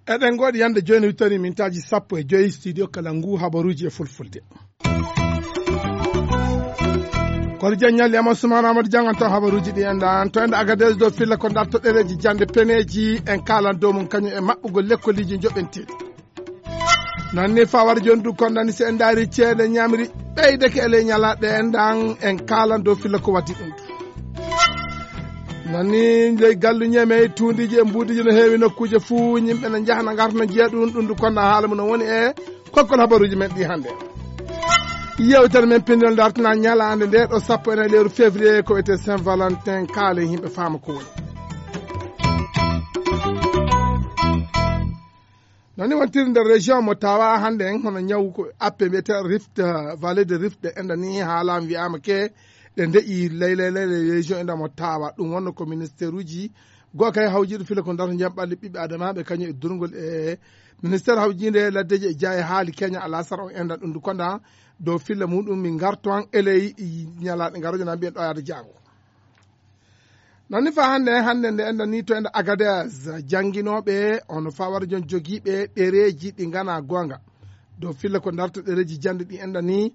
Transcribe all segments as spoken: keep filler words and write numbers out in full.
Eɗen ngoodi yande jooni wittani mintaaji sappo e joyi studio kala ngu habaruuji e fulfulde. Kono jan ñalli ama sumaana amadu jangan taw habaruuji ɗi enɗan to enɗa agades dow filla ko darto ɗereji jande peneji en kalan dow mum kañum e maɓɓugol lekkoliiji joɓenteɗi. Nanni fawar jondu kondani si en daari ceede ñamri ɓeydeke e ley ñalaɗe enɗan en kalan dow filla ko waddi ɗum. Nanni ley gallu ñeme tuundiji e mbuudiji no heewi nokkuuje fuu yimɓe no njahna ngarta no njiya ɗum ɗum ndu konda haala mum no woni e kokkol habaruuji men ɗi hannde. Yewtere men pinndol dartana ñalaande nde ɗo sappo e nayi lewru février ko wiyetee saint valentin kaale yimɓe faama ko woni. Nani wontiri nder région mo tawa hannde en hono ñaw ko appe mbiyete rift vallée de rift ɗe enɗa ni haalama wiyama ke ɗe ndeƴi laylay laylay région enɗa mo tawa ɗum wonno ko ministère uji goo kay hawjiɗo fila ko darto jam ɓalli ɓiɓɓe adamaɓe kañum e durgol e ministère hawjinde laddeji e jeya e haali keña alasara o enɗa ɗum du konda dow filla muɗum min garto an eley ñalaɗe garojo na mbiyen ɗo yaade jango. Nani fa hannde hannde nde enɗa ni to enɗa agades jannginooɓe ono fawara jon jogiiɓe ɗereeji ɗi ngana goonga dow filla ko darta ɗereeji jannde ɗi enɗa ni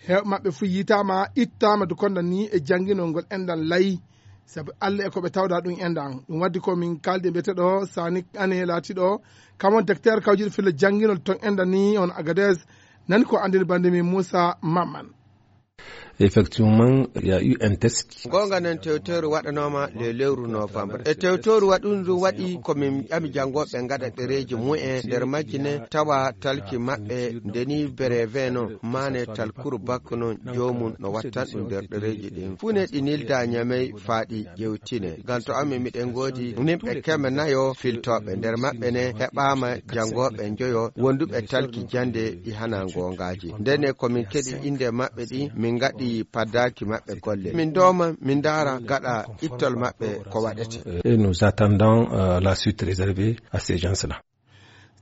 heew maɓɓe fuu yitaama ittaama du konda ni e jannginol ngol enɗan layi sabu allah e ko ɓe tawda ɗum enɗan ɗum waddi ko min kaldi e mbiyete ɗo sani ane laatiɗo kamon docteur kawjiɗo filla jannginol ton enɗa ni on agades nani ko anndini bande min moussa mamman. Effectivement, il y a eu un test. Gonga nen tewteru waɗanoma le lewru novembre e tewteru waɗundu waɗi komin ƴami jangoɓe gaɗa ɗereji mumen nder majji ne tawa talki maɓɓe ndeni breve non mane talkuru bakko non jomum no wattan ɗum nder ɗereji ɗin fuu ne ɗi nilda ñamey faaɗi ƴewtine ngam to amin miɗen goodi nimɓe keme nayo filtoɓe nder maɓɓe ne heɓama jangoɓe njoyo wonduɓe talki jande ɗi hana gongaji ndene komin keɗi inde maɓɓe ɗi min gaɗi paddaki maɓɓe golle min doma min dara gaɗa ittol maɓɓe ko waɗete. Et nous attendons euh, la suite réservée à ces gens-là.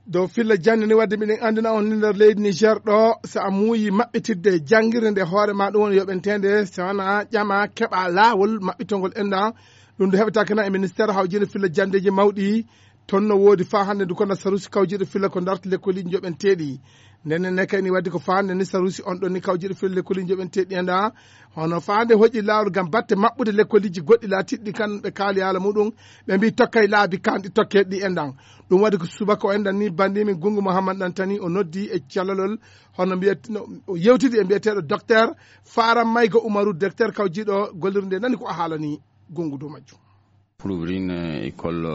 Dow filla jande ni wadde miɗen andina on ni nder leydi niger ɗo so a muuyi maɓɓitidde jangirde nde hoore ma ɗum woni yoɓentede so wona ƴama keɓa lawol maɓɓitogol enɗa ɗum nde heɓata kana e ministére hawjinde filla jandeji mawɗi toon no woodi faa hannde ndu kona sarusi kawjiɗo filla ko darti lekkoliji joɓenteɗi ndenne ne kayni wadde ko faa hannde ni sarusi on ɗon ni kawjiɗo filla lekkoliji joɓenteɗi enɗa hono faa hannde hoƴi laawol gam batte maɓɓude lekkoliji goɗɗi laatiɗi kan ɓe kaali haala muɗum ɓe mbi tokkay laabi kanɗi tokkeɗi enɗan ɗum waɗi ko subaka o enɗan ni bandimin gungu mouhammad ɗantani o noddi e calalol hono mbiyet o yewtidi e mbiyeteɗo docteur faram mayga umaru docteur kawjiɗo gollirde nani ko a haalani gungu dow majjum. Pour ouvrir une école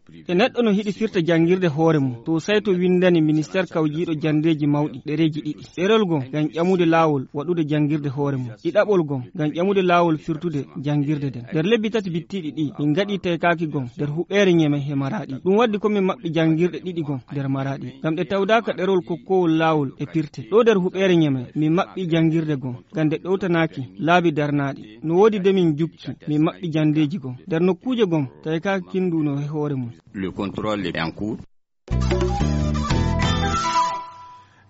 privée. E neɗɗo no hiɗi firta janngirde hoore mum to sayto winndani ministeer kawjiiɗo janndeeji mawɗi ɗereeji ɗiɗi ɗerol goo ngam ƴamude laawol waɗude janngirde hoore mum ɗiɗaɓol goo ngam ƴamude laawol firtude janngirde nden nder lebbi tati bittiiɗi ɗi min ngaɗi taykaaki goo nder huɓeere ñeme he maraaɗi ɗum waddi ko min maɓɓi janngirɗe ɗiɗi goo nder maraaɗi ngam ɗe tawdaaka ɗerol kokkowol laawol e pirte ɗo nder huɓeere ñeme min maɓɓi janngirde goo ngam nde ɗowtanaaki laabi darnaaɗi no woodi de min jukki min maɓɓi janndeeji goo nder nokkuuje goo tawi ka kinduno he hoore mum. Le contrôle est en cours.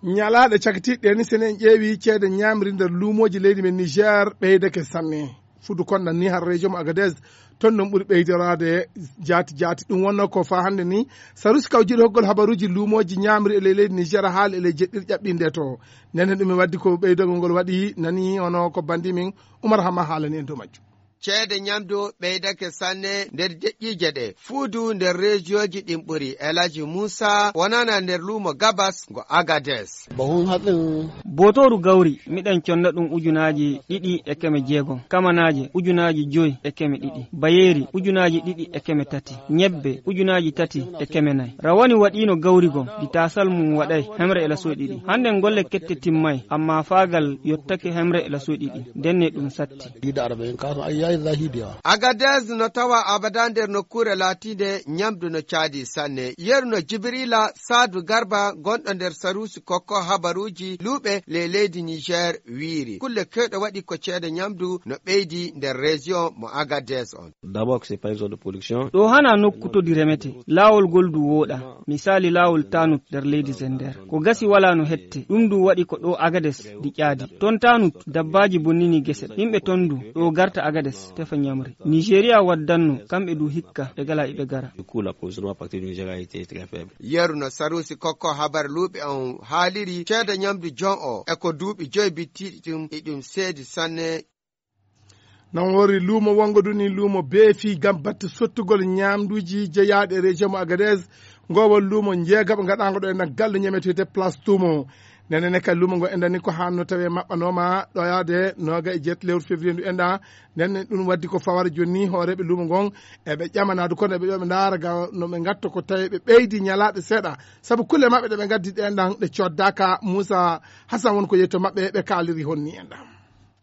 Ñalaaɗe cakitiiɗe ni sene en ƴeewi ceede ñaamri nder luumooji leydi men niger ɓeydake sanne fudu konɗan ni har région mo agadez ton non ɓuri ɓeydoraade jaati jaati ɗum wonno ko fa hannde ni sarusi kaw jiɗo hoggol habaruuji luumooji ñaamri e ley leydi niger haali e ley jeɗɗir ƴaɓɓinde to nden hen ɗum e waddi ko ɓeydogol ngol waɗi nani hono ko bandi min umar hama haalani en dow majjum. Ceede ñamdu ɓeydake sanne nder deƴƴiije ɗe fuudu nder rejiyoji ɗin ɓuri elaji muusa wonana nder luumo gabas ngo agades. Bootooru gawri miɗen conna ɗum ujunaaji ɗiɗi e keme jeegom kamanaaje ujunaaji joyi e keme ɗiɗi bayeeri ujunaaji ɗiɗi e keme tati ñebbe ujunaaji tati e keme nayi rawani waɗiino gawri gom di taasal mum waɗay hemre e lasoy ɗiɗi hannden golle kette timmay amma faagal yottake hemre e lasoy ɗiɗi ndenne ɗum satti. Agadez no tawa abada nder nokkuure laatiinde ñamdu no caadi sanne. Yeru no Jibrila Saadu Garba, gonɗo nder saruusi kokko habaruuji luuɓe le leydi Niger, wiiri kulle kewɗe waɗi ko ceede ñamdu no ɓeydi nder région mo Agadez on. D'abord, c'est pas une zone de production. Ɗo hana nokku todi remete. Laawol gol du wooɗa. Misali laawol Tanut nder leydi Zender. Ko gasi wala no hette. Ɗum du waɗi ko ɗo Agades di ƴaadi. Ton Tanut, dabbaaji bonnini gese. Yimɓe ton du, ɗo garta Agades, tefa ñamri. Nigeria waddanno, kamɓe du hikka, ɓe gala iɓe gara. Du coup, l'approvisionnement à partir du Nigeria a été très faible. Yeru no saruusi kokko habar luuɓe on haaliri, ceede ñamdu jon o, e ko duuɓi joy bittiiɗi ɗum, e ɗum seedi sanne. Non wori luumo wongo duni luumo beefi ngam batte sottugol ñaamduuji jeyaaɗi e région mo Agadez. Ngo won luumo njeegaɓo ngaɗaango ɗo e nan galle ñameteede Place Tumo. Nene ne kay luumo ngo enɗan ni ko hanno tawi maɓɓanooma ɗo yaade nooga e jeet lewru février ndu enɗan. Nene ɗum waddi ko fawara jooni ni hooreeɓe luumo ngon eɓe ƴamanaadu kono eɓe ƴoɓe ndaara ga no ɓe ngatto ko tawi ɓe ɓeydi ñalaaɗe seeɗa. Sabu kulle maɓɓe ɗe ɓe ngaddi ɗe enɗan ɗe coddaaka. Muusa Hasan won ko yetto maɓɓe ɓe kaaliri honni enɗan.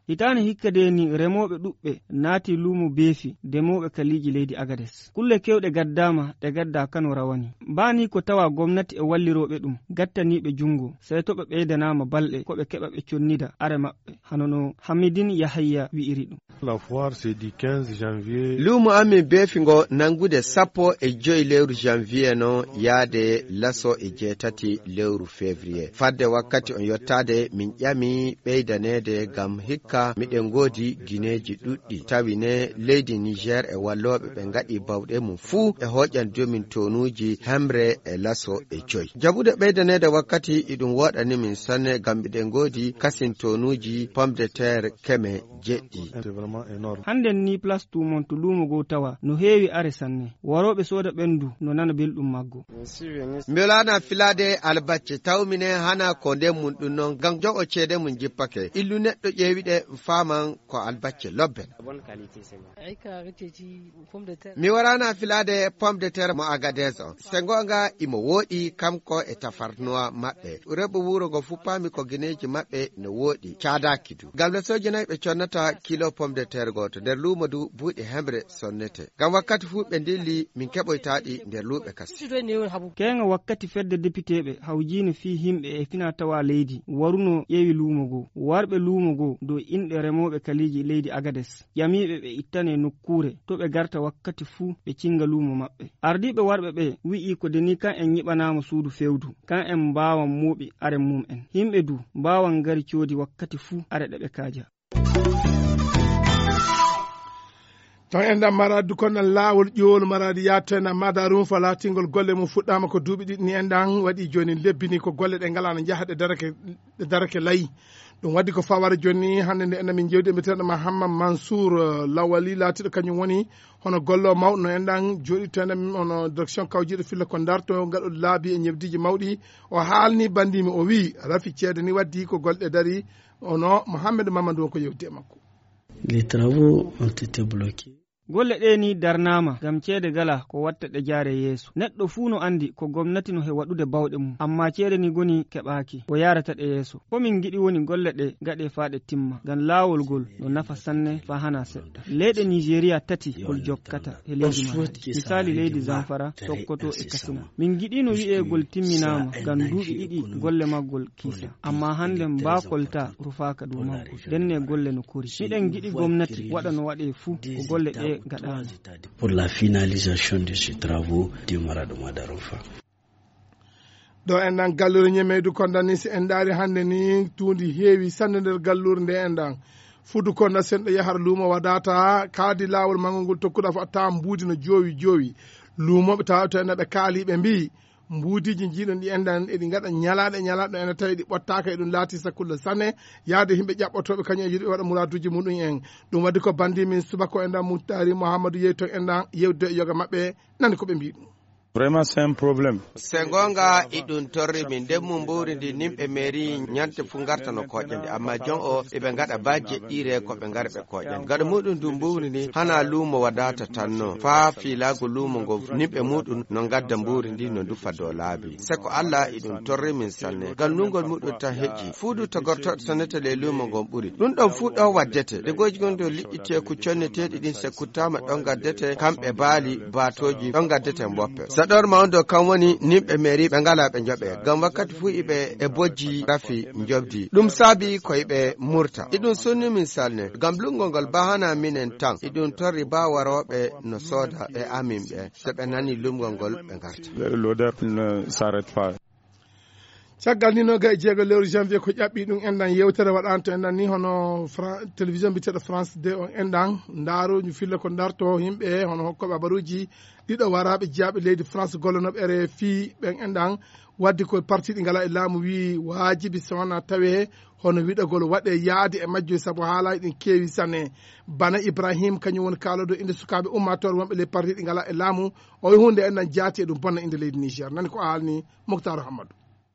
Hitaande hikka de ni remooɓe ɗuɓɓe naati luumo beefi demooɓe kaliiji leydi Agades. Kulle kewɗe gaddaama ɗe gaddaa kano rawani. Mbaani ko tawa gomnati e wallirooɓe ɗum, gattaniiɓe junngo, sey to ɓe ɓeydanaama balɗe ko ɓe keɓa ɓe connida are maɓɓe, hano no Hamidin Yahayya wi'iri ɗum. La foire, c'est du quinze janvier. Luumo amin beefi ngo nanngude sappo e joy lewru janvier non yaade laso e jeetati lewru février. Fadde wakkati on yottaade, min ƴami ɓeydaneede ngam hikka miɗen ngoodi gineeji ɗuɗɗi. Tawi ne leydi Niger e wallooɓe ɓe ngaɗi bawɗe mum fuu e hoƴan jomin tonuuji hemre e laso e joy. Jaɓude ɓeydaneede wakkati iɗum woɗani min sanne ngam miɗen ngoodi kasin tonuuji pomme de terre keme jeɗɗi. Hannden ni Place Tumon to luumo goo tawa no heewi are sanne. Warooɓe sooda ɓen du no nana belɗum maggo. Mi walaana filaade albacce, taw minen hana ko nden mun ɗum non, ngam jogo ceede mun jippake. Illu neɗɗo ƴeewi ɗe, faaman ko albacce lobbe. Mi waraana filaade pomme de terre mo Agadez on. Se ngoonga imo wooɗi, kanko e tafarnuwa maɓɓe. Rewɓe wuro ngo fuu paami ko gineeji maɓɓe no wooɗi, caadaaki du. Ngam no sooji nayi ɓe connata kilo pomme de terre gooto, nder luumo du buuɗi hemre sonnete. Ngam wakkati fuu ɓe ndilli, min keɓoytaa ɗi nder luuɓe kasi. Keeŋa wakkati fedde depiteeɓe hawjiino fii himɓe e fina tawa leydi waruno ƴeewi luumo goo. Warɓe luumo goo dow inɗe remooɓe kaliiji leydi Agades, ƴamiiɓe ɓe ittane nokkuure to ɓe garta wakkati fuu ɓe cinga luumo maɓɓe. Ardiiɓe warɓe ɓe wi'i ko de ni kan en nyiɓanaama suudu fewdu, kan en mbaawan mooɓi are mum en. Himɓe du mbaawan ngari coodi wakkati fuu are ɗe ɓe kaaja. Ton enɗan maraadi du konɗan laawol ƴoolu maraadi yaatena madarum fa laatingol golle mum fuɗɗaama ko duuɓi ɗiɗi ni enɗan waɗi jooni lebbini ko golle ɗe ngalaano njaha ɗe darake ɗe darake layi. Ɗum waɗi ko fawara jooni hannde nde enɗan min jewdi e mbiyeteeɗo Mahamma Mansour, eh, Lawali laatiiɗo kañum woni hono gollo mawɗo no enɗan jooɗi to enɗan hono direction kawjiiɗo filla ko ndarto ngaɗo laabi e ñebdiiji mawɗi. O haalni banndimi o wi'i rafi ceede ni waddi ko golle ɗe dari. Ono Mohamed Mamadou on ko yewti e makko. Les travaux ont été bloqués. Golle ɗe ni darnaama ngam ceede gala ko watta ɗe jaare yeeso. Neɗɗo fuu no anndi ko gomnati no he waɗude bawɗe mum, amma ceede ni goni keɓaaki ko yaarata ɗe yeeso. Ko min ngiɗi woni golle ɗe gaɗe faa ɗe timma, ngam laawol gol no nafa sanne faa hana seɗɗa. Leyɗe Nigeria tati gol jokkata he leydi maɓɓe. Misali leydi Zamfara, Sokoto e Katsina. Min ngiɗino wi'egol timminaama ngam duuɓi ɗiɗi golle maggol kiisa. Amma hannde mbaa kolta rufaaka dow maggol. Ndenne golle no kori. Miɗen ngiɗi gomnati waɗa no waɗe fuu ko golle ɗe gaɗaama. Pour la finalisation de ces travaux, démarrage de Madarofa. Ɗo en nan gallure ñemeydu kon dani, si en ndaari hannde ni tuundi heewi sanne nder gallure nde en ɗan. Fudu kon na senɗo yahar luumo wadata kaadi laawol mangol ngol tokkuɗa fo a tawan mbuudi no joowi joowi. Luumooɓe tawa to en ɓe kaali ɓe mbiyi mbuudiji jiiɗon ɗi en ɗan eɗi ngaɗa ñalaaɗe e ñalaaɗe ɗo en tawi ɗi ɓottaaka e ɗum laati sakulla sanne yaade yimɓe ƴaɓɓotooɓe kañum e yiɗɓe waɗa muraaduuji muɗum en. Ɗum waɗi ko banndi min subaka o en ɗan Muhtari Muhammadu yehi to en ɗan yewde e yoga maɓɓe nani ko ɓe mbiyi ɗum. Vraiment, c'est un problème. Se goonga, iɗum torri min. Nden mum mbuuri ndi, nimɓe mairie ñande fuu ngarta no kooƴa ndi. Amma jon o, iɓe ngaɗa ba jeɗɗiire ko ɓe ngara ɓe kooƴa ndi. Gaɗa muɗum ndu mbuuri ndi, hana luumo wadata tan no. Faa fiilaago luumo ngon, nimɓe muɗum no ngadda mbuuri ndi no ndufa dow laabi. Se ko Allah iɗum torri min sanne. Ngam lungol muɗum tan heƴi. Fuudu togortooɗo sonnete ley luumo ngon ɓuri. Ɗum ɗon fuu ɗo waddete. Degooji gon dow liƴƴi teeku conneteeɗi ɗin se kuttaama ɗon ngaddete, kamɓe baali, baatooji, ɗon ngaddete mboppe. Saɗorma on dow kan woni nimɓe mairie ɓe ngalaa ɓe njoɓe. Ngam wakkati fuu iɓe e bojji rafi njobdi. Ɗum saabi ko iɓe murta. Iɗum sunni min salne. Ngam lungo ngol ba hana minen tan. Iɗum torri ba warooɓe no sooda ɓe amin ɓe. Se ɓe nani lungo ngol ɓe ngarta. L'odeur ne s'arrête pas. Caggal ni noga e jeego lewru janvier ko ƴaɓɓi ɗum enɗan yewtere waɗanto enɗan ni hono Fra- télévision mbiteɗo France deux o enɗan. Ndaaru ñu filla ko darto yimɓe hono hokkoɓe habaruji ɗiɗo waraɓe jeyaɓe leydi France gollonoɓe R F I ɓen enɗan wadde ko parti ɗi ngala e laamu wi waajibi so wona tawe hono wiɗagol waɗe yaade e majjo sabu haalaji ɗin keewi sanne. Bana Ibrahim kañum woni kaaloɗo inde sukaaɓe ummatore wonɓe ley parti ɗi ngala e laamu. O wi hunde enɗan jaati e ɗum bonna inde leydi Niger. Nani ko haalni Moctar Hammadou.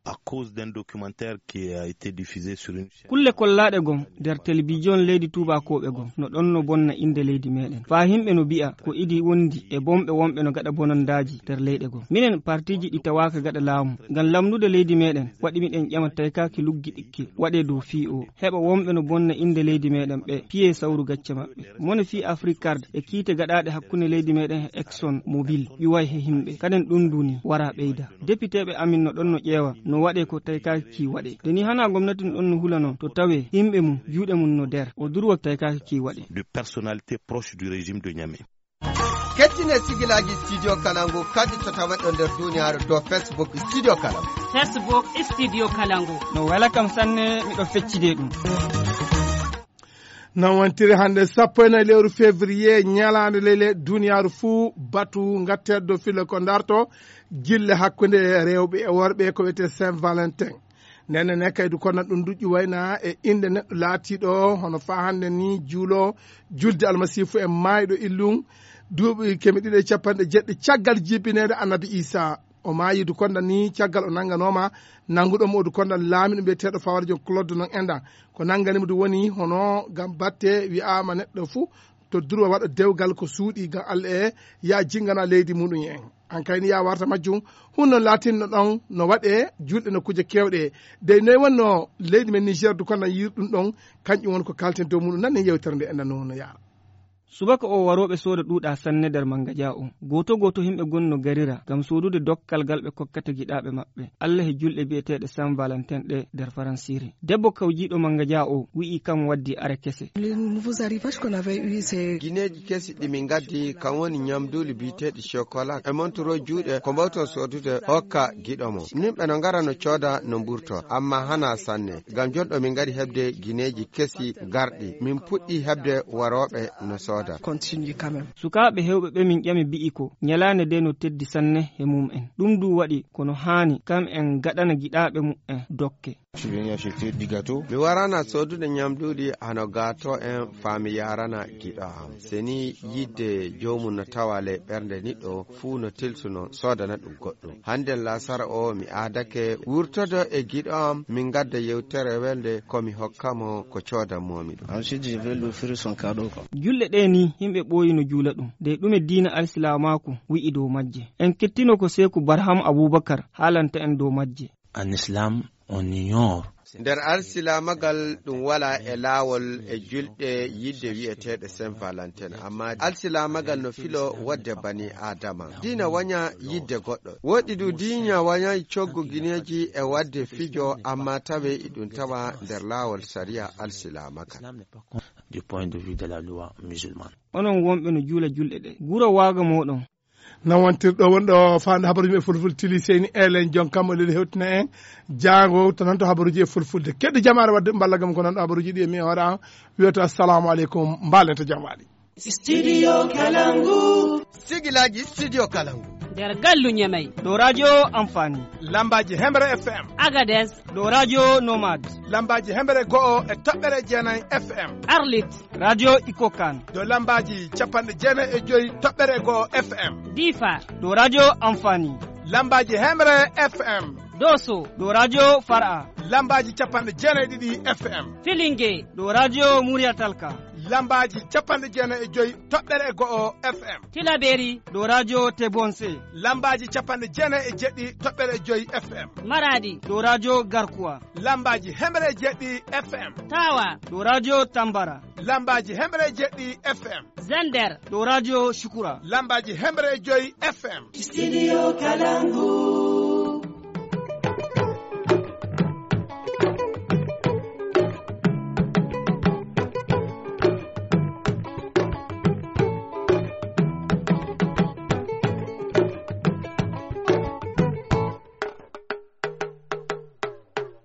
À cause d'un documentaire qui a été diffusé sur une chaîne. Kulle kollaaɗe gom nder telebijon leydi tuubakooɓe gom no ɗon no bonna innde leydi meɗen. Faa himɓe no bi'a ko idi wondi e bomɓe wonɓe no gaɗa bonondaaji nder leyɗe gom. Minen partiiji ɗi tawaaka gaɗa laamu ngam lamnude leydi meɗen waɗi miɗen ƴama taykaaki luggi ɗikki waɗee dow fii o. Heɓa wonɓe no bonna innde leydi meɗen ɓe piyee sawru gacce maɓɓe. Mone fii Afrikard e kiite gaɗaaɗe hakkunde leydi meɗen e Exxon Mobil ƴuway he himɓe. Kaden ɗum nduni wara ɓeyda. Depiteeɓe amin no ɗon no ƴeewa no waɗee ko taykaaki waɗee. Nde ni hana gomnati no ɗon no hula non to tawee himɓe mum juuɗe mum no der o durwa taykaaki waɗee. De personnalités proches du régime de Niamey. Kettine sigilaaji Studio Kalangu kadi to tawaɗo nder duniyaaru dow Facebook Studio Kalangu. Facebook Studio Kalangu. No wela kam sanne miɗo feccide ɗum. Non wontiri hannde sappo e nayi lewru février ñalaande lele duniyaaru fuu batu ngatteeɗo filo ko darto gille hakkunde rewɓe e worɓe ko wiyetee Saint Valentin. Nden ne kaydu kono ɗum duƴƴi wayna e innde neɗɗo laatiiɗo hono faa hannde ni juulo julde almasiifu e maayɗo illum duuɓi keme ɗiɗi e capanɗe jeɗɗi caggal jibineede annabi Isa. O maayi du konda ni caggal o nannganooma nannguɗo mo du konda laamiɗo mbiyeteeɗo fawarjo Claude non enɗan. Ko nanngani mo du woni hono ngam batte wi'aama neɗɗo fuu to durwa waɗa dewgal ko suuɗi ngam Allah e ya jinngana leydi muɗum en. An kayni ya warta majjum hunno laatinno ɗon no waɗe julɗe no kuje kewɗe dey noy wonno leydi men Niger du konda yiir ɗum ɗon kanƴum won ko kalten dow muɗum nan en yewtere nde enɗan no no yaara. Subaka o warooɓe sooda ɗuuɗa sanne nder mannga ja o. Gooto gooto himɓe gon no garira ngam soodude dokkal gal ɓe kokkata giɗaaɓe maɓɓe. Allah e julɗe bi'eteeɗe Saint Valentin ɗe nder Faransiire. Debbo kawjiiɗo mannga ja o wi'i kam waddi are kese. Gineeji kesi ɗi min ngaddi kam woni ñamduuli bi'eteeɗi chocolat e montoro juuɗe ko mbawton soodude hokka giɗo mo. Nimɓe no ngara no cooda no mburto amma hana sanne. Ngam jonɗo min ngari heɓde gineeji kesi garɗi min puɗɗi heɓde warooɓe no sooda. Sukaaɓe heewɓe ɓe min ƴami bi'i ko ñalaande nde no teddi sanne he mum en. Ɗum du waɗi ko no haani kam en gaɗana giɗaaɓe mu'en dokke. Mi warana soodude ñamduuɗi hano gaato en faa mi yaarana giɗo am. Se ni yidde joomum no tawa ley ɓernde niɗɗo fuu no telsuno soodana ɗum goɗɗum. Hannden laasara o mi aadake wurtodo e giɗo am min ngadda yewtere welde ko mi hokka mo ko coodanmoomi ɗum. Julɗe ɗe ni himɓe ɓooyi no juula ɗum de ɗume diina alsilaamaaku wi'i dow majje. En kettino ko seeku Barham Abuubakar haalanta en dow majje. En islam on ignore. Nder alsilaamagal ɗum wala e laawol e julɗe yidde wi'eteeɗe Saint Valentin amma alsilaamagal no filo wadde bani aadama diina waña yidde goɗɗo. Woɗɗi du diina wañay coggu gineeji e wadde fijo amma tawe iɗum tawa nder laawol sariya alsilaamagal. Du point de vue de la loi musulmane. Onon wonɓe no juula julɗe ɗe guro waaga mooɗon. Nan wontirɗo wonɗo faande habaruji e fulfulde tili seyni elen jon kam o leli hewtina en jaango to nan to habaruji e fulfulde kedde jamaare wadde mballa gam ko nan ɗo habaruji ɗi e mi hoore an wiyoto assalamu aleykum mbaalen to jam waɗi. Studio Kalangu. Sigilaji Studio Kalangu. nder gallu Ñemey. Ɗo radio Amfani. Lambaaji Hemre F M. Agades. Ɗo radio Nomad. Lambaaji Hemre go'o e toɓɓere jeenay F M. Arlit. Radio Ikokan. Ɗo lambaaji capanɗe jeenay e joy toɓɓere go'o F M. Difa. Ɗo radio Amfani. Lambaaji Hemre F M. Doso. Ɗo radio Far'a. Lambaaji capanɗe jeenay ɗiɗi F M. Filinge. Ɗo radio Muriyatalka. Lambaaji capanɗe jeenay e joy toɓɓere go'o F M. Tilaberi. Ɗo radio Tebonse. Lambaaji capanɗe jeenay e jeɗɗi toɓɓere joy F M. Maradi. Ɗo radio Garkuwa. Lambaaji hemre e jeɗɗi F M. Tawa. Ɗo radio Tambara. Lambaaji hemre e jeɗɗi F M. Zender. Ɗo radio Shukura. Lambaaji hemre e joy F M. Studio Kalangu.